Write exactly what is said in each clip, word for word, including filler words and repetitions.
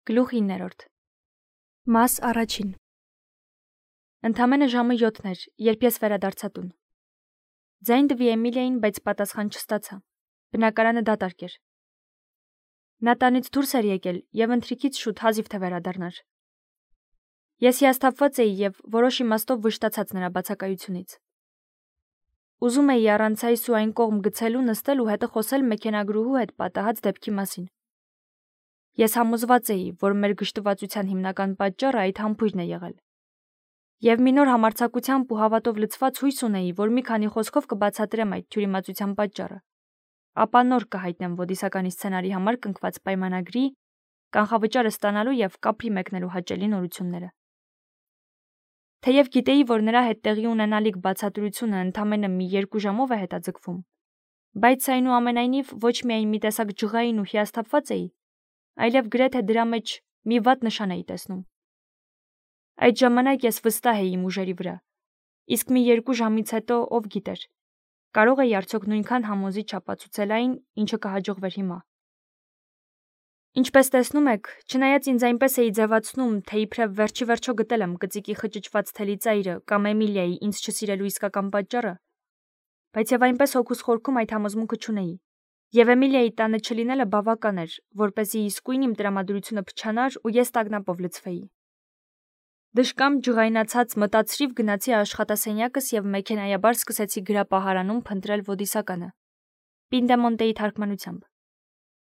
Գլուխ իններորդ Մաս առաջին Ընդամենը ժամը յոթն էր, երբ ես վերադարձա տուն։ Ձայն տվի Էմիլիային, բայց պատասխան չստացա։ Բնակարանը դատարկ էր։ Նա տանից դուրս էր եկել եւ ընթրիքից շուտ հազիվ թե վերադառնար։ Ես հիասթափված էի եւ որոշ իմաստով վշտացած նրա բացակայությունից։ Ուզում էի առանց այս ու այն կողմ գցելու նստել ու հետը խոսել մեքենագրուհու հետ պատահած դեպքի մասին։ Ես համոզված էի, որ մեր գժտվածության հիմնական պատճառը այդ համբույրն է եղել։ Եվ մի նոր համարձակությամբ ու հավատով լցված հույս ունեի, որ մի քանի խոսքով կբացատրեմ այդ թյուրիմացության պատճառը, ապա նոր կհայտնեմ ոդիսականի սցենարի համար կնքված պայմանագրի, կանխավճարը ստանալու եւ կապրի մեկնելու հաճելի նորությունները։ Թեև գիտեի, որ նրա հետ տեղի ունենալիք բացատրությունը ընդամենը մի երկու ժամով է հետաձգվում, բայց այնուամենայնիվ ոչ միայն մի տեսակ ջղային ու հիասթափված էի, այլև գրեթե դրա մեջ մի վատ նշան էի տեսնում։ Այդ ժամանակ ես վստահ էի իմ ուժերի վրա, իսկ մի երկու ժամից հետո ով գիտեր, կարող էի արդյոք նույնքան համոզիչ ապացուցել այն, ինչը կհաջողվեր հիմա։ Ինչպես տեսնում եք, չնայած ինձ այնպես էի ձևացնում, թե իբրև վերջի վերջո գտել եմ կծիկի խճճված թելի ծայրը կամ Էմիլիայի ինձ չսիրելու իսկական պատճառը, բայց եւ այնպես հոգուս խորքում այդ համոզմունքը չունեի։ Եվ Էմիլիայի տանը չլինելը բավական էր, որպեսզի իսկույն իմ տրամադրությունը փչանար ու ես տագնապով լցվեի։ Դժկամ ջղայնացած մտածրիվ գնացի աշխատասենյակս եւ մեքենայաբար սկսեցի գրապահարանում փնտրել ոդիսականը։ Պինդեմոնտեի թարգմանությամբ։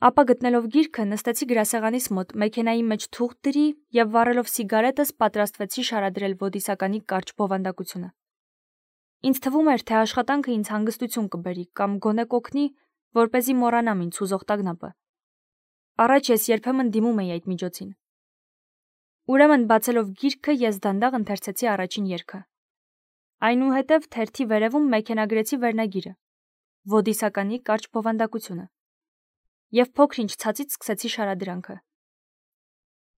Ապա գտնելով գիրքը նստեցի գրասեղանիս մոտ, մեքենայի մեջ թուղթ դրի եւ վառելով սիգարետս պատրաստվեցի շարադրել ոդիսականի կարճ բովանդակությունը։ Ինձ թվում էր, թե աշխատանքը ինձ հանգստություն կբերի կամ գոնե կօգնի, որպեսզի մոռանամ ինձ հուզող տագնապը։ Առաջ ես երբեմն դիմում էի այդ միջոցին։ Ուրեմն բացելով գիրքը ես դանդաղ ընթերցեցի առաջին երգը։ Այնուհետև թերթի վերևում մեքենագրեցի վերնագիրը՝ ոդիսականի կարճ բովանդակությունը։ Եվ փոքր-ինչ ցածից սկսեցի շարադրանքը։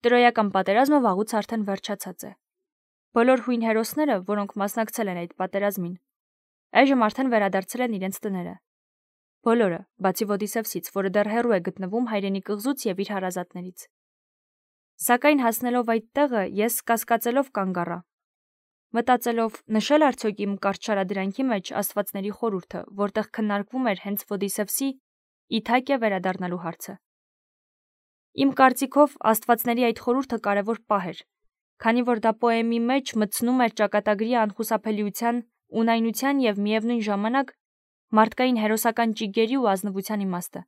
Տրոյական պատերազմը վաղուց արդեն վերջացած է։ Բոլոր հույն հերոսները, որոնք մասնակցել են այդ պատերազմին, այժմ արդեն վերադարձել են իրենց տները։ Բոլորը, բացի Ոդիսևսից, որը դեռ հեռու է գտնվում հայրենի կղզուց եւ իր հարազատներից։ Սակայն հասնելով այդ տեղը, ես կասկածելով կանգ առա, մտածելով նշել արդյոք իմ կարճ շարադրանքի մեջ աստվածների խորհուրդը, որտեղ քննարկվում էր հենց Ոդիսևսի Իթակիա վերադառնալու հարցը։ Իմ կարծիքով աստվածների այդ խորհուրդը կարևոր պահ էր, քանի որ դա պոեմի մեջ մտցնում էր ճակատագրի անխուսափելիության, ունայնության եւ միևնույն ժամանակ մարդկային հերոսական ճիգերի ու ազնվության իմաստը։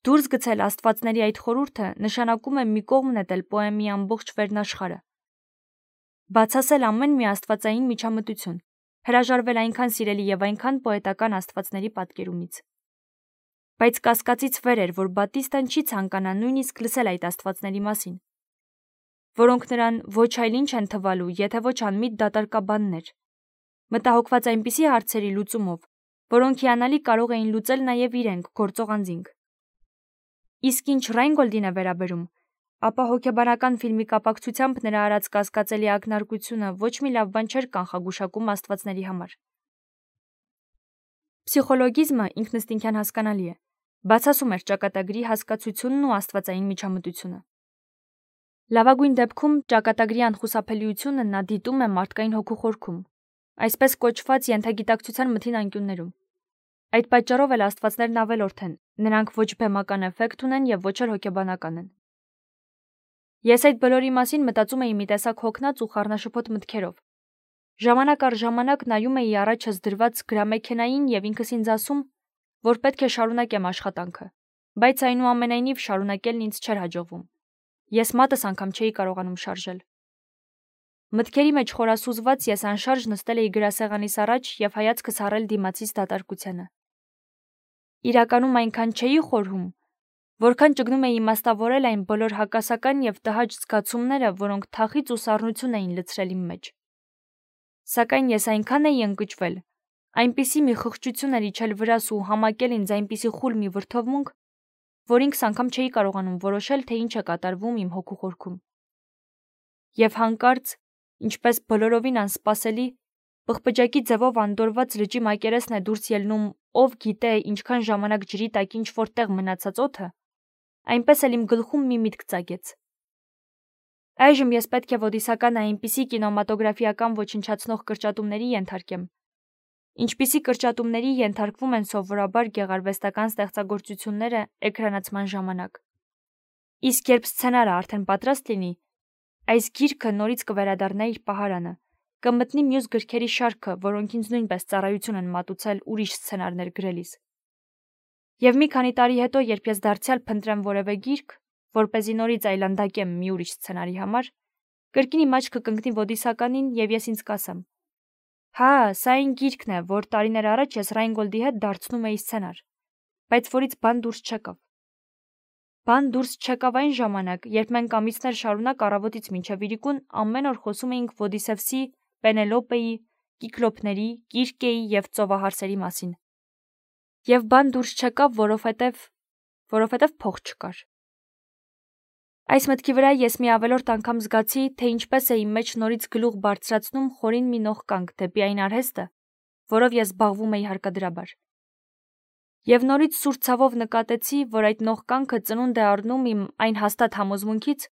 Դուրս գցել աստվածների այդ խորհուրդը նշանակում է մի կողմ նետել պոեմի ամբողջ վերնաշխարհը։ Բացասել ամեն մի աստվածային միջամտություն, հրաժարվել այնքան սիրելի եւ այնքան պոետական աստվածների պատկերումից։ Բայց կասկածից վեր էր, որ Բատիստան չի ցանկանա նույնիսկ լսել այդ աստվածների մասին, որոնք նրան ոչ այլ ինչ են թվալու, եթե ոչ անմիտ դատարկաբաններ, մտահոգված այնպիսի հարցերի լուծումով, որոնք հիանալի կարող էին լուծել նաև իրենք գործող անձինք։ Իսկ ինչ Ռայնգոլդին է վերաբերում, ապա հոգեբանական ֆիլմի կապակցությամբ նրա արած կասկածելի ակնարկությունը ոչ մի լավ բան չէր կանխագուշակում աստվածների համար։ Փսիխոլոգիզմը ինքնըստինքյան հասկանալի է, բացասում էր ճակատագրի հասկացությունն ու աստվածային միջամտությունը։ Լավագույն դեպքում ճակատագրի անխուսափելիությունը նա դիտում է մարդկային հոգու խորքում, այսպես կոչված ենթագիտակցության մթին անկյուններում։ Այդ պատճառով էլ աստվածներն ավելորդ են, նրանք ոչ բեմական էֆեկտ ունեն եւ ոչ էլ հոգեբանական են։ Ես այդ բոլորի մասին մտածում էի մի տեսակ հոգնած ու խառնաշփոթ մտքերով։ Ժամանակ առ ժամանակ նայում էի առաջս դրված գրամեքենային եւ ինքս ինձ ասում, որ պետք է շարունակեմ աշխատանքը, բայց այնուամենայնիվ շարունակելն ինձ չէր հաջողվում։ Ես մատս անգամ չէի կարողանում շարժել։ Մտքերի մեջ խորասուզված ես անշարժ նստել էի գրասեղանիս առաջ եւ հայացքս առել դիմացից դատարկությանը։ Իրականում այնքան չէի խորհում, որքան ճգնում էի իմաստավորել այն բոլոր հակասական եւ տհաճ զգացումները, որոնք թախիծ ու սառնություն էին լցրել իմ մեջ։ Սակայն ես այնքան էի ընկճվել, այնպիսի մի խղճություն էր իջել վրաս ու համակել ինձ այնպիսի խուլ մի վրդովմունք, որ ինքս անգամ չէի կարողանում որոշել, թե ինչ է կատարվում իմ հոգու խորքում։ Եվ հանկարծ, ինչպես բոլորովին անսպասելի, պղպջակի ձևով անդորված լճի մակերեսն է դուրս ելնում, ով գիտե ինչքան ժամանակ ջրի տակ ինչ որտեղ մնացած օդը, այնպես էլ իմ գլխում մի միտք ծագեց։ Այժմ ես պետք է ոդիսականը այնպիսի կինոմատոգրաֆիական ոչնչացնող կրճատումների ենթարկեմ, ինչպիսի կրճատումների ենթարկվում են սովորաբար գեղարվեստական ստեղծագործությունները էկրանացման ժամանակ։ Իսկ երբ սցենարը արդեն պատրաստ լինի, այս գիրքը նորից կվերադառնա իր պահարանը, կմտնի մյուս գրքերի շարքը, որոնք ինձ նույնպես ծառայություն են մատուցել ուրիշ սցենարներ գրելիս։ Եվ մի քանի տարի հետո, երբ ես դարձյալ փնտրեմ որևէ գիրք, որպեսզի նորից այլանդակեմ մի ուրիշ սցենարի համար, կրկին իմ աչքը կընկնի ոդիսականին և ես ինձ կասեմ. հա, սա այն գիրքն է, որ տարիներ առաջ ես Ռայնգոլդի հետ դարձնում էի սցենար, բայց որից բան դուրս չեկավ։ Բան դուրս չեկավ այն ժամանակ, երբ մենք ամիսներ շարունակ առավոտից մինչև իրիկուն ամեն օր խոսում էինք Ոդիսևսի, Պենելոպեի, Կիկլոպների, Կիրկեի և ծովահարսերի մասին։ Եվ բան դուրս չեկավ, որովհետև որովհետև փող չկար։ Այս մտքի վրա ես մի ավելորդ անգամ զգացի, թե ինչպես է իմ մեջ նորից գլուխ բարձրացնում խորին մի նողկանք դեպի այն արհեստը, որով ես զբաղվում էի հարկադրաբար։ Եվ նորից սուր ցավով նկատեցի, որ այդ նողկանքը ծնունդ է առնում իմ այն հաստատ համոզմունքից,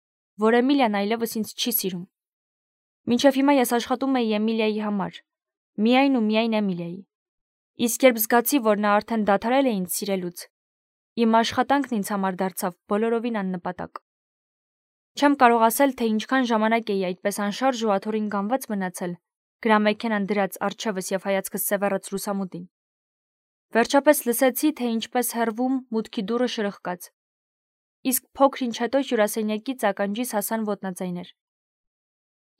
որ Էմիլիան այլևս ինձ չի սիրում։ Մինչև հիմա ես աշխատում էի Էմիլիայի համար, միայն ու միայն Էմիլիայի։ Իսկ երբ զգացի, որ նա արդեն դադարել է ինձ սիրելուց, իմ աշխատանքն ինձ համար դարձավ բոլորովին աննպատակ։ Չեմ կարող ասել, թե ինչքան ժամանակ էի այդպես անշարժ ու աթոռին գանված մնացել, գրամեքենան դրած առջևս և հայացքս սևեռած լուսամուտին։ Վերջապես լսեցի, թե ինչպես հեռվում մուտքի դուռը շրխկաց։ Իսկ փոքր ինչ հետո հյուրասենյակից ականջիս հասան ոտնաձայներ։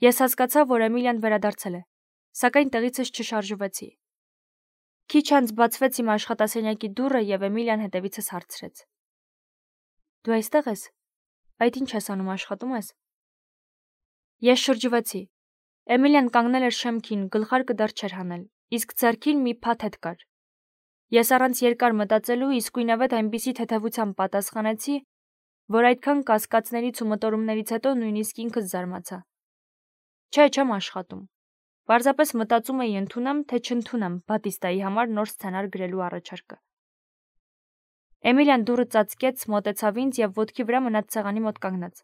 Ես հասկացա, որ Էմիլիան վերադարձել է, սակայն տեղիցս չշարժվեցի։ Քիչ անց բացվեց իմ աշխատասենյակի դուռը և Էմիլիան հետևիցս հարցրեց. Դու այստեղ ես։ Այդ ինչ ես անում, աշխատում ես։ Ես շրջվեցի։ Էմիլիան կանգնել էր շեմքին, գլխարկը դեռ չէր հանել, իսկ ձեռքին մի փաթեթ կար։ Ես առանց երկար մտածելու իսկույնավետ այնպիսի թեթևությամբ պատասխանեցի, որ այդքան կասկածներից ու մտորումներից հետո նույնիսկ ինքս զարմացա։ Չէ, չեմ աշխատում։ Պարզապես մտածում էի ընդունեմ, թե չընդունեմ Բատիստայի համար նոր սցենար գրելու առաջարկը։ Էմիլիան դուռը ծածկեց, մոտեցավ ինձ և ոտքի վրա մնաց սեղանի մոտ կանգնած։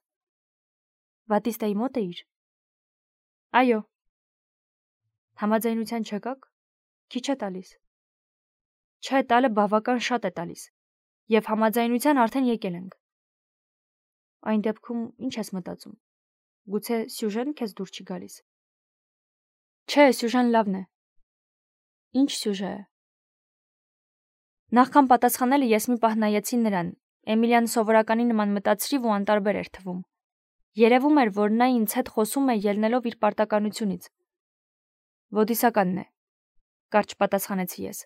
Բատիստայի մոտ էիր։ Այո։ Համաձայնության չեկաք։ Քիչ է տալիս։ Չէ, տալը բավական շատ է տալիս։ Եվ համաձայնության արդեն եկել ենք։ Այն դեպքում ինչ ես մտածում։ Գուցե սյուժեն քեզ դուր չի գալիս։ Չէ, սյուժեն լավն է։ Ինչ սյուժե է։ Նախքան պատասխանելը ես մի պահ նայեցի նրան։ Էմիլիան սովորականի նման մտածրիվ ու անտարբեր էր թվում։ Երևում էր, որ նա ինձ հետ խոսում է ելնելով իր պարտականությունից։ Ոդիսականն է, կարճ պատասխանեցի ես։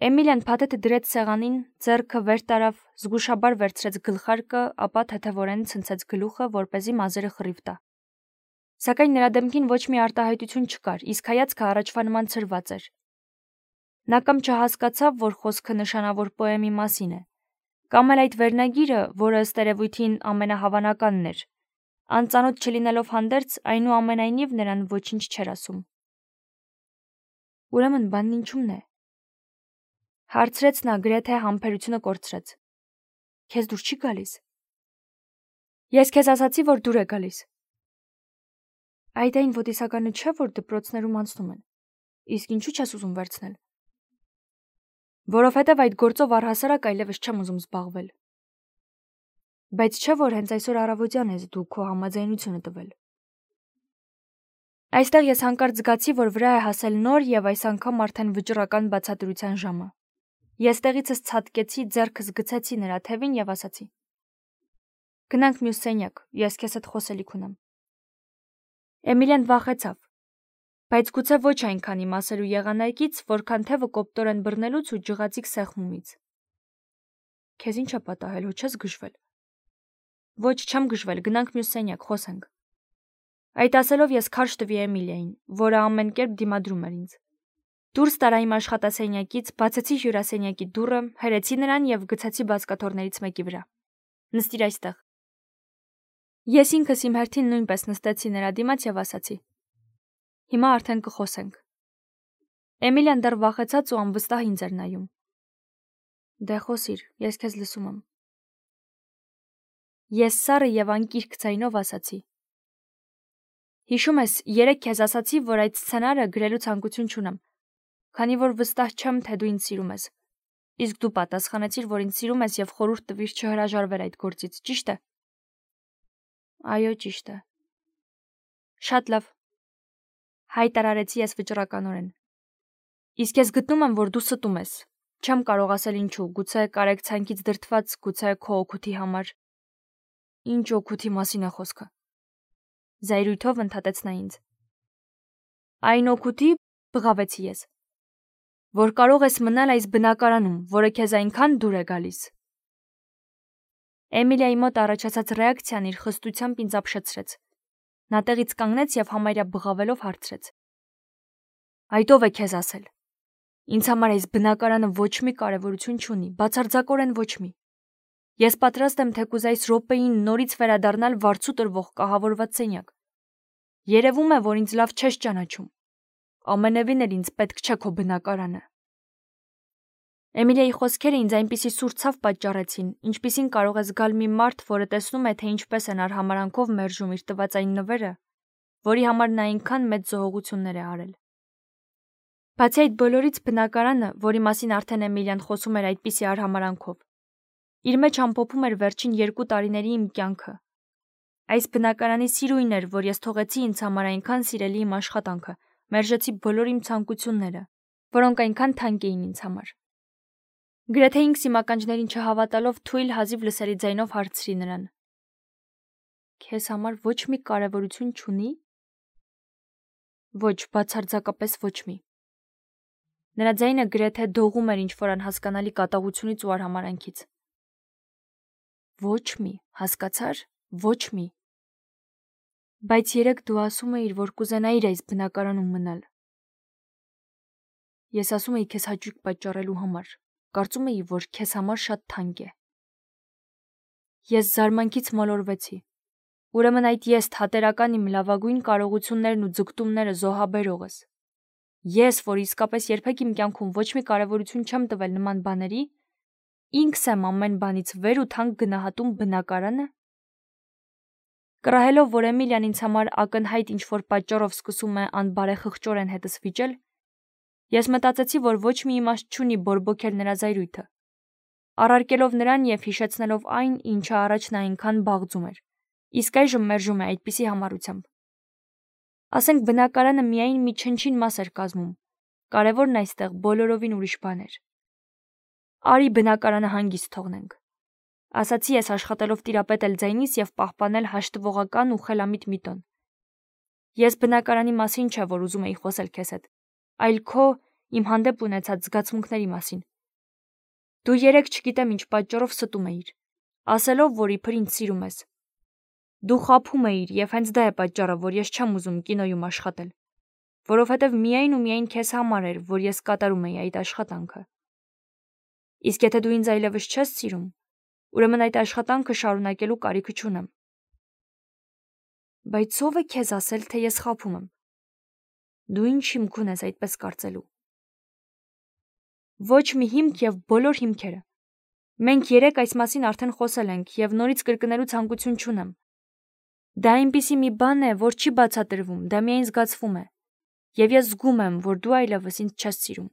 Էմիլիան փաթեթը դրեց սեղանին, ձեռքը վեր տարավ, զգուշաբար վերցրեց գլխարկը, ապա թեթևորեն ցնցեց գլուխը, որպեսզի մազերը խռիվ տա։ Սակայն նրա դեմքին ոչ մի արտահայտություն չկար, իսկ հայացքը առաջվա նման ցրված էր։ Նա կամ չհասկացավ, որ խոսքը նշանավոր պոեմի մասին է, կամ էլ այդ վերնագիրը, որը ըստ երևույթին ամենահավանականն էր, անծանոթ չլինելով հանդերձ, այնուամենայնիվ նրան ոչինչ չէր ասում։ Ուրեմն բանն ինչու՞մն է։ Հարցրեց նա, գրեթե համբերությունը կորցրեց։ Քեզ դուր չի գալիս։ Ես քեզ ասացի, որ դուր է գալիս։ Այդ այն ոդիսականը չէ, որ դպրոցներում անցնում են։ Իսկ ինչու չես ուզում վերցնել։ Որովհետև այդ գործով առհասարակ այլևս չեմ ուզում զբաղվել։ Բայց չէ, որ հենց այսօր առավոտյան ես դու քո համաձայնությունը տվել։ Այստեղ ես հանկարծ զգացի, որ վրա է հասել նոր եւ այս անգամ արդեն վճռական բացատրության ժամը։ Ես տեղիցս ցատկեցի, ձեռքս գցեցի նրա թևին եւ ասացի. Գնանք մյուս սենյակ, ես քեզ հետ խոսելիք ունեմ։ Էմիլիան վախեցավ, բայց գուցե ոչ այնքան իմ ասելու եղանակից, որքան թևը կոպտորեն բռնելուց ու ջղացիկ սեղմումից։ Քեզ ինչ է պատահել, հո չես գժվել։ Ոչ, չեմ գժվել, գնանք մյուս սենյակ, խոսենք։ Այդ ասելով ես քարշ տվի Էմիլիային, որը ամեն կերպ դիմադրում էր ինձ։ Դուրս տարա իմ աշխատասենյակից, բացեցի հյուրասենյակի դուռը, հրեցի նրան եւ գցեցի բազկաթոռներից մեկի վրա։ Նստիր այստեղ։ Ես ինքս իմ հերթին նույնպես նստեցի նրա դիմաց եւ ասացի. Հիմա արդեն կխոսենք։ Էմիլիան դեռ վախեցած ու անվստահ ինձ էր նայում։ Դե խոսիր, ես քեզ լսում եմ։ Ես սառը եւ անկիրք ձայնով ասացի. Հիշում ես, երեկ քեզ ասացի, որ այդ սցենարը գրելու ցանկություն չունեմ, քանի որ վստահ չեմ, թե դու ինձ սիրում ես։ Իսկ դու պատասխանեցիր, որ ինձ սիրում ես եւ խորհուրդ տվիր չհրաժարվել այդ գործից, ճիշտ է։ Այո, ճիշտ է։ Շատ լավ։ Հայտարարեցի ես վճռականորեն։ Իսկ ես գտնում եմ, որ դու ստում ես։ Չեմ կարող ասել ինչու, գուցե կարեկցանքից դրդված, գուցե քո օգուտի համար։ Ինչ օգուտի մասին է խոսքը։ Զայրույթով ընդհատեց նա ինձ։ Այն օգուտի, բղավեցի ես, որ կարող ես մնալ այս բնակարանում, որը քեզ այնքան դուր է գալիս։ Էմիլիայի մոտ առաջացած ռեակցիան իր խստությամբ ինձ ապշեցրեց։ Նա տեղից կանգնեց եւ համարյա բղավելով հարցրեց. Այդ ով է քեզ ասել։ Ինձ համար այս բնակարանը ոչ մի կարևորություն չունի, բացարձակորեն ոչ մի։ Ես պատրաստ եմ թեկուզ այս րոպեին նորից վերադառնալ վարձու տրվող կահավորված սենյակ։ Երևում է, որ ինձ լավ չես ճանաչում։ Ամենևին էլ ինձ պետք չէ քո բնակարանը։ Էմիլիայի խոսքերը ինձ այնպիսի սուր ցավ պատճառեցին, ինչպիսին կարող է զգալ մի մարդ, որը տեսնում է, թե ինչպես են արհամարանքով մերժում իր տված այն նվերը, որի համար նա այնքան մեծ զոհողություններ է արել։ Բացի այդ բոլորից բնակարանը, որի մասին արդեն Էմիլիան խոսում էր այդպիսի արհամարանքով, իր մեջ ամփոփում էր վերջին երկու տարիների իմ կյանքը։ Այս բնակարանի սիրույն էր, որ ես թողեցի ինձ համար այնքան սիրելի իմ աշխատանքը, մերժեցի բոլոր իմ ցանկությունները, որոնք այնքան թանկ էին ինձ համար։ Գրեթե ինքս իմ ականջներին չհավատալով թույլ հազիվ լսելի ձայնով հարցրի նրան. Քեզ համար ոչ մի կարևորություն չունի։ Ոչ, բացարձակապես ոչ մի։ Նրա ձայնը գրեթե դողում էր ինչ-որ անհասկանալի կատաղությունից ու արհամարանքից։ Ոչ մի, հասկացար, ոչ մի։ Բայց երեկ դու ասում էիր, որ կուզենայիր այս բնակարանում մնալ։ Ես ասում էի քեզ հաճույք պատճառելու համար, կարծում էի, որ քեզ համար շատ թանկ է։ Ես զարմանքից մոլորվեցի։ Ուրեմն այդ ես թատերական իմ լավագույն կարողություններն ու ձգտումները զոհաբերողս։ Ես, որ իսկապես երբեք իմ կյանքում ոչ մի կարևորություն չեմ տվել նման բաների, ինքս եմ ամեն բանից վեր ու թանկ գնահատում բնակարանը։ Կռահելով, որ Էմիլիան ինձ համար ակնհայտ ինչ-որ պատճառով սկսում է անբարեխղճորեն հետս վիճել, ես մտածեցի, որ ոչ մի իմաստ չունի բորբոքել նրա զայրույթը, առարկելով նրան եւ հիշեցնելով այն, ինչը առաջ նա այնքան բաղձում էր, իսկ այժմ մերժում է այդպիսի համառությամբ։ Ասենք բնակարանը միայն մի չնչին մաս էր կազմում, կարևորն այստեղ բոլորովին ուրիշ բան էր։ Արի բնակարանը հանգիստ թողնենք, ասացի ես աշխատելով տիրապետել ձայնիս եւ պահպանել հաշտվողական ու խելամիտ մի տոն։ Ես բնակարանի մասին չէ, որ ուզում էի խոսել քեզ հետ, այլ քո իմ հանդեպ ունեցած զգացմունքների մասին։ Դու երեք չգիտեմ ինչ պատճառով ստում էիր, ասելով, որ իբր ինձ սիրում ես։ Դու խաբում էիր եւ հենց դա է պատճառը, որ ես չեմ ուզում կինոյում աշխատել, որովհետեւ միայն ու միայն քեզ համար էր, որ ես կատարում էի այդ աշխատանքը։ Իսկ եթե դու ինձ այլևս չես սիրում, ուրեմն այդ աշխատանքը շարունակելու կարիքը չունեմ։ Բայց ով է քեզ ասել, թե ես խաբում եմ։ Դու ինչ հիմք ունես այդպես կարծելու։ Ոչ մի հիմք եւ բոլոր հիմքերը։ Մենք երեք այս մասին արդեն խոսել ենք եւ նորից կրկնելու ցանկություն չունեմ։ Դա այնպիսի մի բան է, որ չի բացատրվում, դա միայն զգացվում է։ Եվ ես զգում եմ, որ դու այլևս ինձ չես սիրում։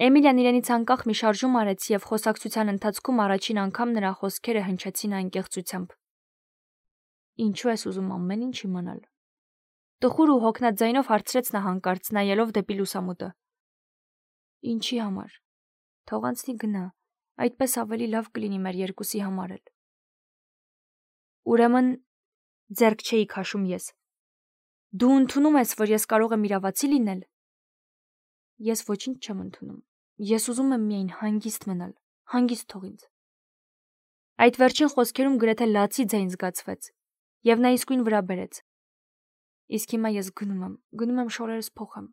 Էմիլիան իրենից անկախ մի շարժում արեց եւ խոսակցության ընթացքում առաջին անգամ նրա խոսքերը հնչեցին անկեղծությամբ։ Ինչու ես ուզում ամեն ինչ իմանալ։ Տխուր ու հոգնած ձայնով հարցրեց նա հանկարծ, նայելով դեպի լուսամուտը։ Ինչի համար։ Թող անցնի գնա, այդպես ավելի լավ կլինի մեր երկուսի համար էլ։ Ուրեմն ձեռք չէի քաշում ես։ Դու ընդունում ես, որ ես կարող եմ իրավացի լինել։ Ես ոչինչ չեմ ընդունում։ Ես ուզում եմ միայն հանգիստ մնալ, հանգիստ թող ինձ։ Այդ վերջին խոսքերում գրեթե լացի ձայն զգացվեց, եւ նա իսկույն վրա բերեց։ Իսկ հիմա ես գնում եմ, գնում եմ շորերս փոխեմ։